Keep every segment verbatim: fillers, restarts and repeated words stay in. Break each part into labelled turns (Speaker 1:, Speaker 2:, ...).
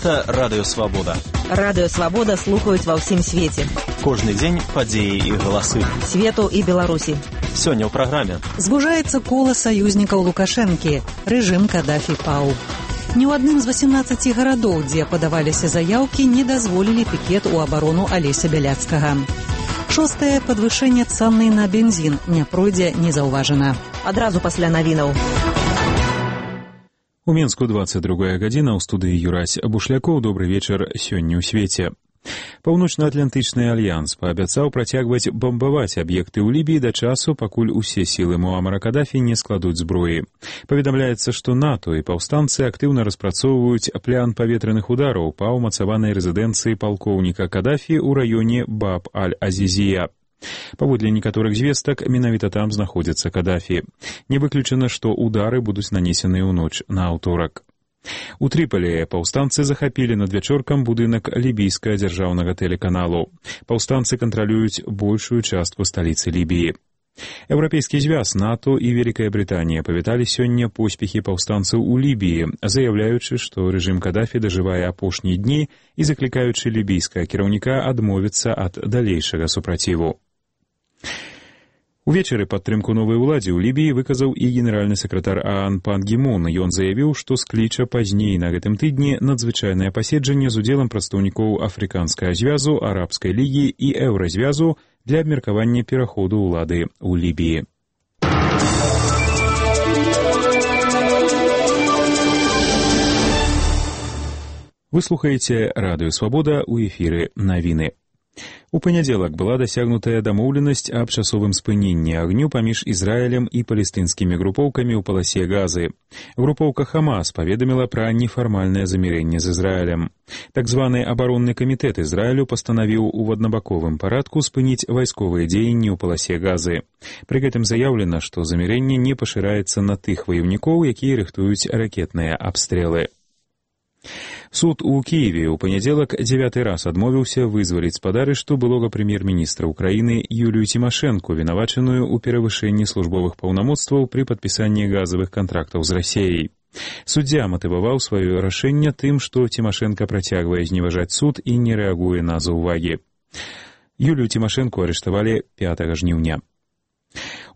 Speaker 1: Гэта Радыё Свабода.
Speaker 2: Радыё Свабода слухаюць ва ўсім свеце.
Speaker 1: Кожны дзень падзеі і галасы.
Speaker 2: Свету і Беларусі.
Speaker 1: Сёння ў праграме.
Speaker 3: Звужаецца кола саюзнікаў Лукашэнкі. Рэжым Кадафі паў. Ні ў адным з васемнаццаці гарадоў, дзе падаваліся заяўкі, не дазволілі пікет у абарону Алеся Бяляцкага. Шостае падвышэнне цаны на бензін не пройдзе незаўважана.
Speaker 2: Адразу пасля навінаў.
Speaker 4: У Мінску двадцать другая гадзіна, ў студыі Юрась Бушлякоў. Добры вечар сёння ў свеце. Паўночна-атлантычны альянс паабяцаў працягваць бамбаваць аб'екты ў Лібіі да часу, пакуль усе сілы Муамара Кадафі не складуць зброі. Паведамляецца, што НАТО і паўстанцы актыўна распрацоўваюць план паветраных удараў па ўмацаванай рэзідэнцыі палкоўніка Кадафі ў раёне Баб-аль-Азізія. Паводле некаторых звестак, менавіта там знаходзіцца Кадафі. Не выключана, што удары будуць нанесеныя ў ноч на аўторак. У Трыполі паўстанцы захапілі надвячоркам будынак лібійскага дзяржаўнага тэлеканалу. Паўстанцы кантралююць большую частку сталіцы Лібіі. Еўрапейскі звяз, НАТО і Вялікая Брытанія павіталі сёння поспехі паўстанцаў у Лібіі, заяўляючы, што рэжым Кадафі дажывае апошнія дні і заклікаючы лібійскага кіраўніка адмовіцца ад далейшага супраціву. Увечары падтрымку новай уладзе ў Лібіі выказаў і генеральны сакратар ААН пан Гі Мун. Ён заявіў, што скліча пазней на гэтым тыдні надзвычайнае паседжанне з удзелам прадстаўнікоў Афрыканскага звязу, Арабскай лігі і Еўразвязу для абмеркавання пераходу ўлады ў Лібіі. Вы слухаеце Радыё Свабода, у эфіры навіны. У панядзелак была дасягнутая дамоўленасць аб часовым спыненні агню паміж Ізраілем і палестынскімі групоўкамі ў паласе Газы. Групоўка Хамас паведаміла пра нефармальнае замірэнне з Ізраілем. Так званы абаронны камітэт Ізраілю пастанавіў у аднабаковым парадку спыніць вайсковыя дзеянні ў паласе Газы. Пры гэтым заяўлена, што замірэнне не пашыраецца на тых ваёўнікоў, якія рыхтуюць ракетныя абстрэлы. Суд у Кіеве ў панядзелак дзявяты раз адмовіўся вызваліць з-пад арышту былога прэм'ер-міністра ўкраіны Юлію Цімашэнку, вінавачаную ў перавышэнні службовых паўнамоцтваў пры падпісанні газавых кантрактаў з Расіяй. Суддзя матываваў сваё рашэнне тым, што Цімашэнка працягвае зневажаць суд і не рэагуе на заўвагі. Юлію Цімашэнку арыштавалі пятага жніўня.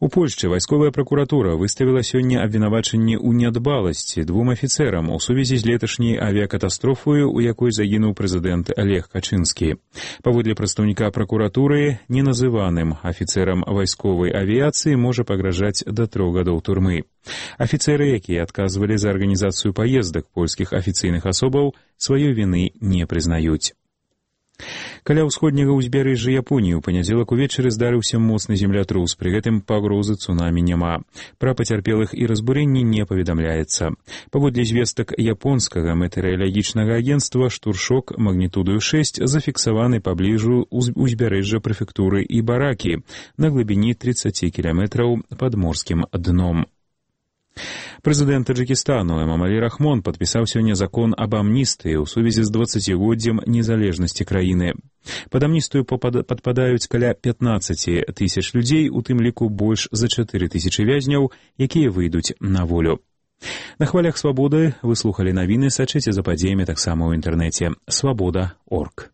Speaker 4: У Польшчы вайсковая пракуратура выставіла сёння абвінавачанне ў нядбаласці двум афіцэрам у сувязі з леташняй авіякатастрофаю, у якой загінуў прэзідэнт Олег Качынскі. Паводле прадстаўніка пракуратуры, неназываным афіцэрам вайсковай авіяцыі можа пагражаць да трох гадоў турмы. Афіцэры, якія адказвалі за арганізацыю паездак польскіх афіцыйных асобаў, сваёй віны не прызнаюць. Каля ўсходняга ўзбярэжжа Японіі ў панядзелак увечары здарыўся моцны землятрус, пры гэтым пагрозы цунамі няма. Пра пацярпелых і разбурэнні не паведамляецца. Паводле звестак японскага метэаралагічнага агенцтва, штуршок магнітудою шэсць зафіксаваны пабліжу ўзбярэжжа прэфектуры Ібаракі на глыбіні тридцать кіламетраў пад морскім дном. Прэзідэнт Таджыкістану Эмамалі Рахмон падпісаў сёння закон аб амністыі ў сувязі з дваццацігоддзем незалежнасці краіны. Пад амністыю падпадаюць каля пятнаццаць тысяч людзей, у тым ліку больш за чатыры тысячы вязняў, якія выйдуць на волю. На хвалях свабоды вы слухалі навіны, сачыце за падзеямі таксама ў інтэрнэце свабода точка орг.